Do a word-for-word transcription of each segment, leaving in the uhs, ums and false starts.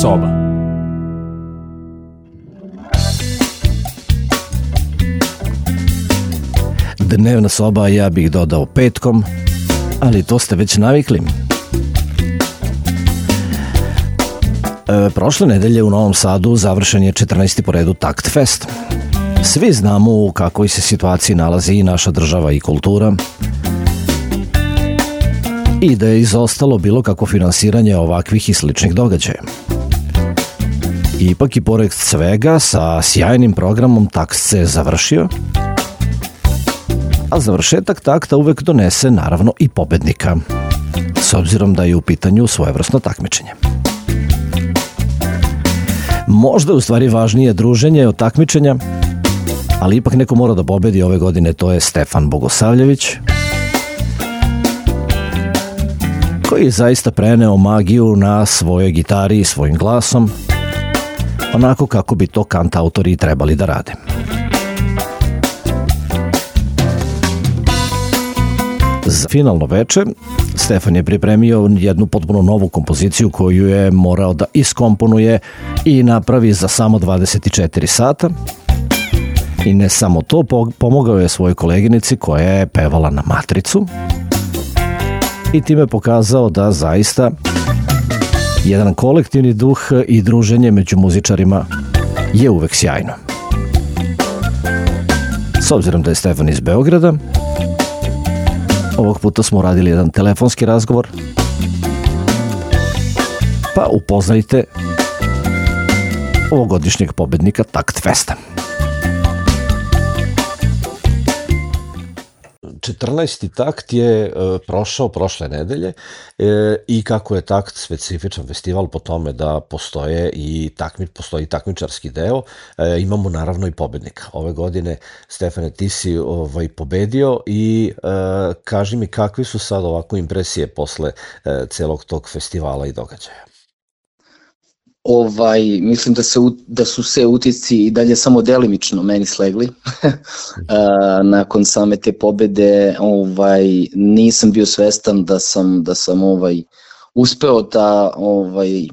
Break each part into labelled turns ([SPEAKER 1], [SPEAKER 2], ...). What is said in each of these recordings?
[SPEAKER 1] soba. Dnevna soba, ja bih dodao petkom, ali to ste već navikli. E, prošle nedelje u Novom Sadu završen je četrnaesti po redu Takt Fest. Svi znamo u kakvoj se situaciji nalazi i naša država i kultura i da je izostalo bilo kako finansiranje ovakvih i sličnih događaja. Ipak i pored svega, sa sjajnim programom Takt se završio, a završetak takta uvek donese naravno i pobednika, s obzirom da je u pitanju svojevrsno takmičenje. Možda je u stvari važnije druženje od takmičenja, ali ipak neko mora da pobedi ove godine, to je Stefan Bogosavljević, koji je zaista preneo magiju na svojoj gitari i svojim glasom, onako kako bi to kantautori trebali da rade. Za finalno veče Stefan je pripremio jednu potpuno novu kompoziciju koju je morao da iskomponuje i napravi za samo dvadeset četiri sata. I ne samo to, pomogao je svojoj koleginici koja je pevala na matricu i time pokazao da zaista jedan kolektivni duh i druženje među muzičarima je uvek sjajno. S obzirom da je Stefan iz Beograda, ovog puta smo radili jedan telefonski razgovor, pa upoznajte ovogodišnjeg pobednika Takt Festa. četrnaesti takt je e, prošao prošle nedelje e, i kako je Takt specifičan festival po tome da postoje i takmi, postoji takmičarski deo, e, imamo naravno i pobednika. Ove godine, Stefane, ti si ovaj, pobedio i e, kaži mi kakve su sad ovako impresije posle e, celog tog festivala i događaja.
[SPEAKER 2] Ovaj, mislim da, se, da su se utisci i dalje samo delimično meni slegli. Nakon same te pobede ovaj, nisam bio svestan da sam, da sam ovaj, uspeo da ovaj,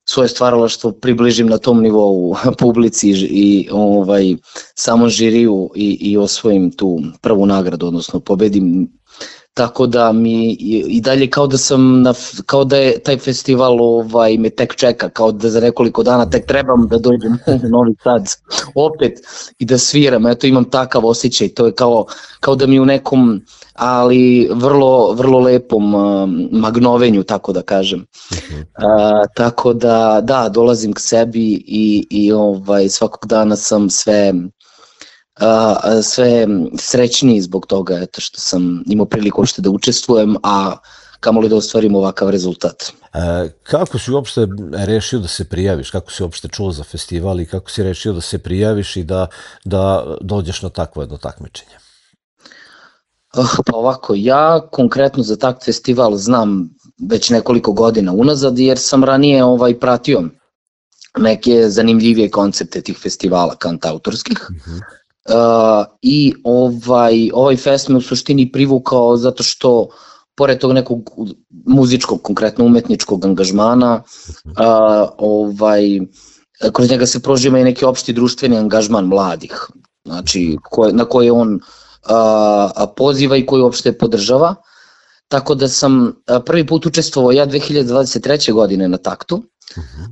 [SPEAKER 2] svoje stvaralaštvo približim na tom nivou publici i ovaj, samom žiriju i, i osvojim tu prvu nagradu, odnosno pobedim. Tako da mi i dalje kao da sam, na, kao da je taj festival ovaj, me tek čeka, kao da za nekoliko dana tek trebam da dođem u Novi Sad opet i da sviram. Eto, imam takav osjećaj, to je kao, kao da mi u nekom, ali vrlo, vrlo lepom uh, magnovenju, tako da kažem. Uh, tako da, da, dolazim k sebi i, i ovaj, svakog dana sam sve... Uh, sve srećniji zbog toga eto, što sam imao priliku uopšte da učestvujem, a kamoli da ostvarim ovakav rezultat.
[SPEAKER 1] E, kako si uopšte rešio da se prijaviš? Kako si uopšte čuo za festival i kako si rešio da se prijaviš i da, da dođeš na takvo jedno takmičenje?
[SPEAKER 2] Uh, pa ovako, ja konkretno za Takt festival znam već nekoliko godina unazad, jer sam ranije ovaj, pratio neke zanimljivije koncepte tih festivala kantautorskih. Uh-huh. Uh, i ovaj, ovaj fest me u suštini privukao zato što pored tog nekog muzičkog, konkretno umetničkog angažmana, uh, ovaj, kroz njega se prožima i neki opšti društveni angažman mladih, znači koje, na koje on uh, poziva i koji uopšte podržava. Tako da sam prvi put učestvovao ja dve hiljade dvadeset treće. godine na Taktu,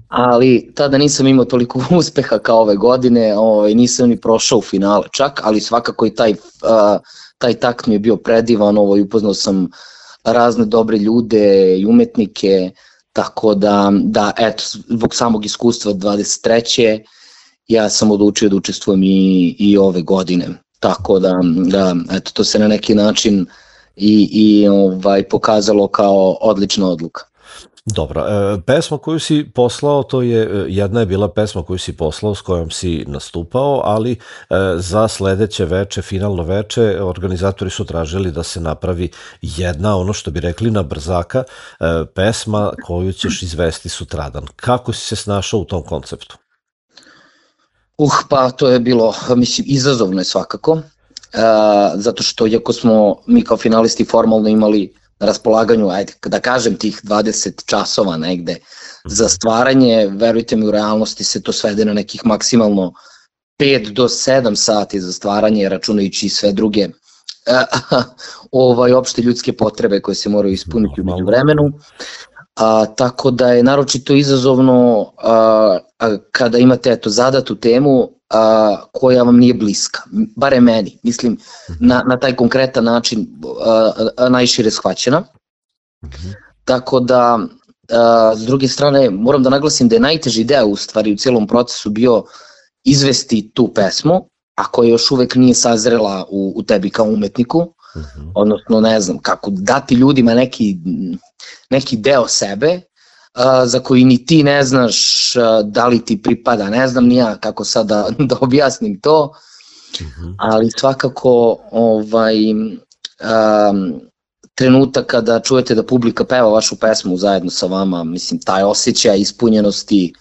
[SPEAKER 2] ali tada nisam imao toliko uspeha kao ove godine, ovaj, nisam ni prošao u finale čak, ali svakako i taj, uh, taj Takt mi je bio predivan, ovaj, upoznao sam razne dobre ljude i umetnike, tako da, da eto, zbog samog iskustva dvadeset treće. ja sam odlučio da učestvujem i, i ove godine, tako da, da eto, to se na neki način i, i ovaj, pokazalo kao odlična odluka.
[SPEAKER 1] Dobro, e, pesma koju si poslao, to je, jedna je bila pesma koju si poslao s kojom si nastupao, ali e, za sledeće veče, finalno veče, organizatori su tražili da se napravi jedna, ono što bi rekli na brzaka, e, pesma koju ćeš izvesti sutradan. Kako si se snašao u tom konceptu?
[SPEAKER 2] Uh, pa to je bilo, mislim, izazovno je svakako, uh, zato što iako smo mi kao finalisti formalno imali na raspolaganju, ajde, da kažem, tih dvadeset časova negde za stvaranje, verujte mi, u realnosti se to svede na nekih maksimalno pet do sedam sati za stvaranje, računajući sve druge ovaj, opšte ljudske potrebe koje se moraju ispuniti u međuvremenu. A, tako da je naročito izazovno a, a, kada imate eto, zadatu temu a, koja vam nije bliska, bare meni, mislim na, na taj konkretan način a, a, najšire shvaćena. Mm-hmm. Tako da, a, s druge strane, moram da naglasim da je najteži deo u stvari u cijelom procesu bio izvesti tu pesmu, a koja još uvek nije sazrela u, u tebi kao umetniku, uh-huh. odnosno ne znam, kako dati ljudima neki, neki deo sebe a, za koji ni ti ne znaš a, da li ti pripada, ne znam ni ja kako sad da, da objasnim to, uh-huh. ali svakako ovaj, a, trenutak kada čujete da publika peva vašu pesmu zajedno sa vama, mislim, taj osjećaj ispunjenosti,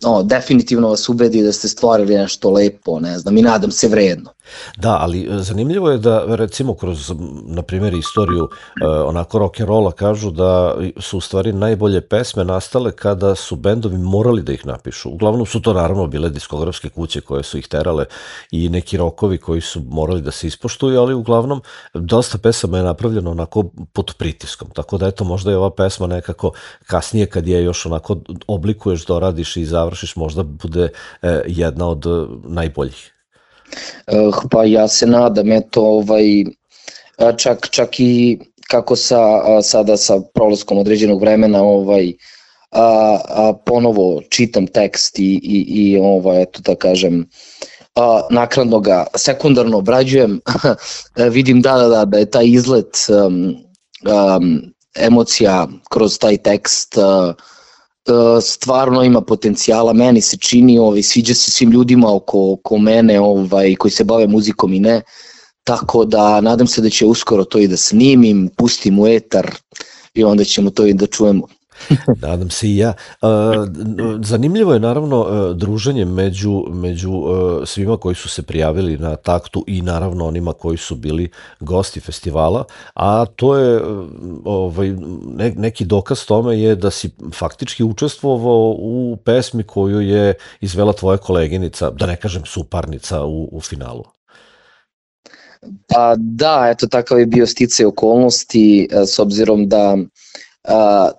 [SPEAKER 2] no, definitivno vas ubedi da ste stvorili nešto lepo, ne znam, i nadam se vredno.
[SPEAKER 1] Da, ali zanimljivo je da, recimo, kroz, na primjer, istoriju eh, onako rock'n'rolla kažu da su u stvari najbolje pesme nastale kada su bendovi morali da ih napišu. Uglavnom su to naravno bile diskografske kuće koje su ih terale i neki rokovi koji su morali da se ispoštuju, ali uglavnom dosta pesama je napravljeno onako pod pritiskom. Tako da eto, možda je ova pesma nekako kasnije kad je još onako oblikuješ, doradiš i završiš, možda bude eh, jedna od najboljih.
[SPEAKER 2] Uh, pa ja se nadam, eto, ovaj, čak, čak i kako sa, sada sa prolaskom određenog vremena ovaj, a, a ponovo čitam tekst i, i, i ovaj, eto da kažem, a, naknadno ga sekundarno obrađujem, vidim da, da, da, da je taj izlet um, um, emocija kroz taj tekst uh, stvarno ima potencijala, meni se čini, ovaj, sviđa se svim ljudima oko, oko mene ovaj, koji se bave muzikom i ne, tako da nadam se da će uskoro to i da snimim, pustim u etar i onda ćemo to i da čujemo.
[SPEAKER 1] Nadam se i ja. Zanimljivo je naravno druženje među, među svima koji su se prijavili na taktu i naravno onima koji su bili gosti festivala, a to je ovaj, neki dokaz tome je da si faktički učestvovao u pesmi koju je izvela tvoja koleginica, da ne kažem suparnica u, u finalu.
[SPEAKER 2] Pa da, eto takav je bio sticaj okolnosti s obzirom da Uh,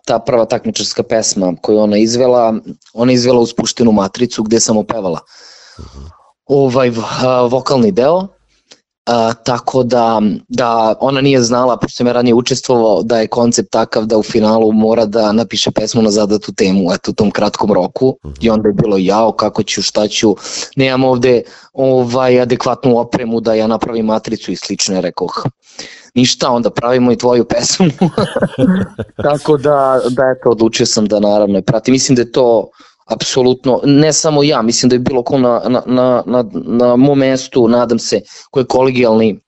[SPEAKER 2] ta prva takmičarska pesma koju ona izvela, ona izvela uz Puštenu matricu gde sam opevala uh-huh. ovaj uh, vokalni deo, uh, tako da, da ona nije znala, pošto sam ja ranije učestvovao, da je koncept takav da u finalu mora da napiše pesmu na zadatu temu, eto u tom kratkom roku, uh-huh. i onda je bilo jao, kako ću, šta ću, nemam ovde ovaj, adekvatnu opremu da ja napravim matricu i slično, je rekao, ništa, onda pravimo i tvoju pesmu. Tako da, da eto, odlučio sam da naravno pratim. Mislim da je to apsolutno, ne samo ja, mislim da je bilo ko na, na, na, na, na mom mestu, nadam se, ko je kolegijalni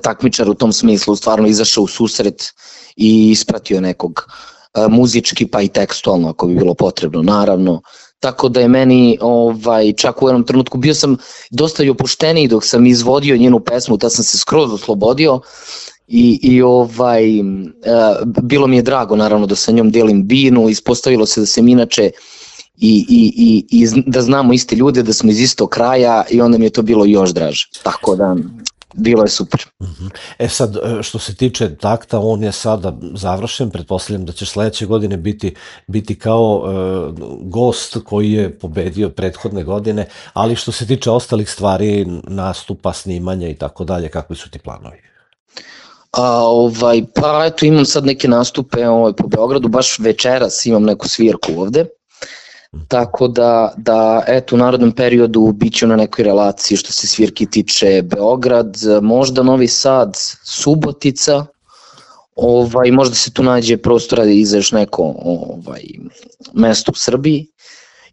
[SPEAKER 2] takmičar u tom smislu, stvarno izašao u susret i ispratio nekog muzički pa i tekstualno ako bi bilo potrebno, naravno. Tako da je meni ovaj, čak u jednom trenutku bio sam dosta i opušteniji dok sam izvodio njenu pesmu, da sam se skroz oslobodio i, i ovaj, e, bilo mi je drago naravno da sa njom delim binu, ispostavilo se da sam inače i, i, i, i da znamo iste ljude, da smo iz istog kraja i onda mi je to bilo još draže, tako da bilo je super.
[SPEAKER 1] E sad, što se tiče takta, on je sada završen, pretpostavljam da će sledeće godine biti, biti kao e, gost koji je pobedio prethodne godine, ali što se tiče ostalih stvari, nastupa, snimanja i tako dalje, kakvi su ti planovi?
[SPEAKER 2] A, ovaj, pa eto, imam sad neke nastupe ovaj, po Beogradu, baš večeras imam neku svirku ovde. Tako da, da eto, u narodnom periodu bit ću na nekoj relaciji što se svirki tiče Beograd, možda Novi Sad, Subotica, ovaj, možda se tu nađe prostora da iza još neko ovaj, mesto u Srbiji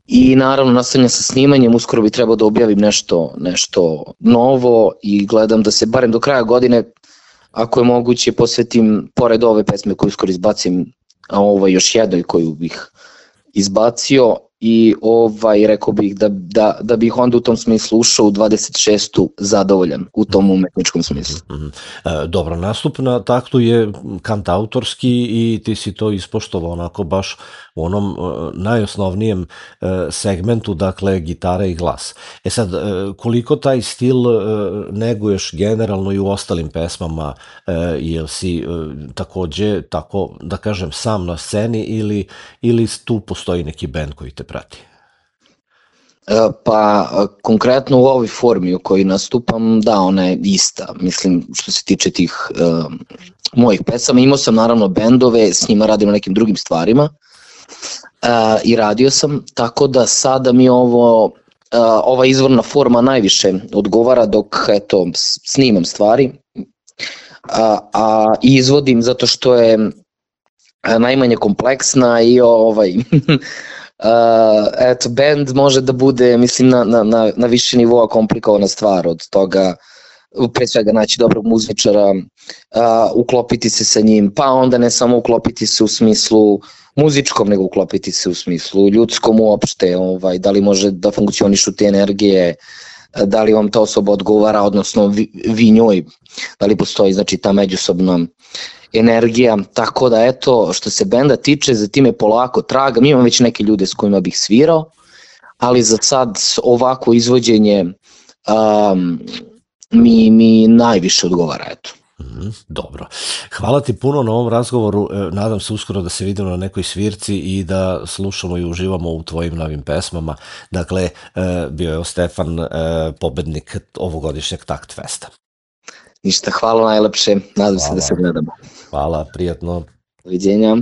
[SPEAKER 2] i naravno nastavljam sa snimanjem, uskoro bi trebao da objavim nešto, nešto novo i gledam da se barem do kraja godine, ako je moguće, posvetim, pored ove pesme koju uskoro izbacim, a ovo još jednoj koju bih izbacio, i ovaj, rekao bih da, da, da bih onda u tom smislu ušao u dvadeset šestu zadovoljan u tom umetničkom smislu.
[SPEAKER 1] Mm-hmm. E, dobro, nastup na taktu je kantautorski i ti si to ispoštovao onako baš u onom e, najosnovnijem e, segmentu, dakle gitara i glas. E sad, e, koliko taj stil e, neguješ generalno i u ostalim pesmama, e, jel si e, takođe, tako da kažem, sam na sceni ili, ili tu postoji neki band koji te prati?
[SPEAKER 2] Pa konkretno u ovoj formi u kojoj nastupam, da, ona je ista, mislim, što se tiče tih uh, mojih pesama. Imao sam naravno bendove, s njima radim na nekim drugim stvarima uh, i radio sam, tako da sada mi ovo, uh, ova izvorna forma najviše odgovara dok, eto, snimam stvari, a, a izvodim zato što je najmanje kompleksna i ovaj... Uh, eto, band može da bude, mislim, na, na, na više nivoa komplikovana stvar od toga, pre svega naći dobrog muzičara, uh, uklopiti se sa njim, pa onda ne samo uklopiti se u smislu muzičkom, nego uklopiti se u smislu ljudskom uopšte, ovaj, da li može da funkcionišu te energije, da li vam ta osoba odgovara, odnosno vi, vi njoj, da li postoji, znači, ta međusobna energija, tako da eto, što se benda tiče, za time polako tragam, imam već neke ljude s kojima bih svirao, ali za sad ovako izvođenje um, mi, mi najviše odgovara, eto.
[SPEAKER 1] Mm, dobro. Hvala ti puno na ovom razgovoru, nadam se uskoro da se vidimo na nekoj svirci i da slušamo i uživamo u tvojim novim pesmama. Dakle, bio je Stefan pobednik ovogodišnjeg Takt Festa.
[SPEAKER 2] Ništa, hvala najlepše, nadam hvala. se da se gledamo.
[SPEAKER 1] Hvala, prijatno.
[SPEAKER 2] Doviđenja.